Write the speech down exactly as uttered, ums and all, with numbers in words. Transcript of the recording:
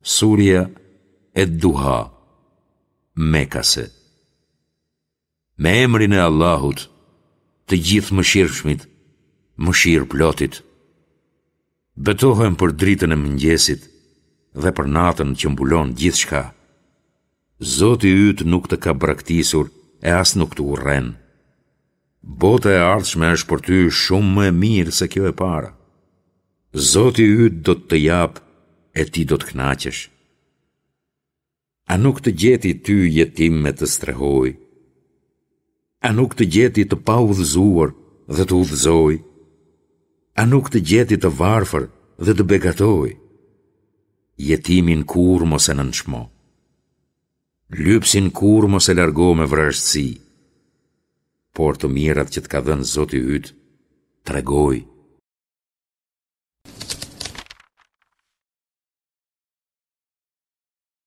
Surja Ed-Duha, Mekase. Me emrin e Allahut, të Gjithëmëshirshmit, mëshirëplotit. Betohem për dritën e mëngjesit dhe për natën që mbulon gjithçka. Zoti yt nuk të ka braktisur e as nuk të urren. Bota e ardhshme është për ty shumë më e mirë se kjo e para. Zoti yt do të të japë e ti do të kënaqesh. A nuk të gjeti ty jetim e të strehoi? A nuk të gjeti të paudhëzuar dhe të udhëzoi? A nuk të gjeti të varfër dhe të begatoi? Jetimin kurrë mos e nënçmo. Lypësin kurrë mos e largo me vrazhdësi. Por të mirat që të ka dhënë Zoti yt, tregoji.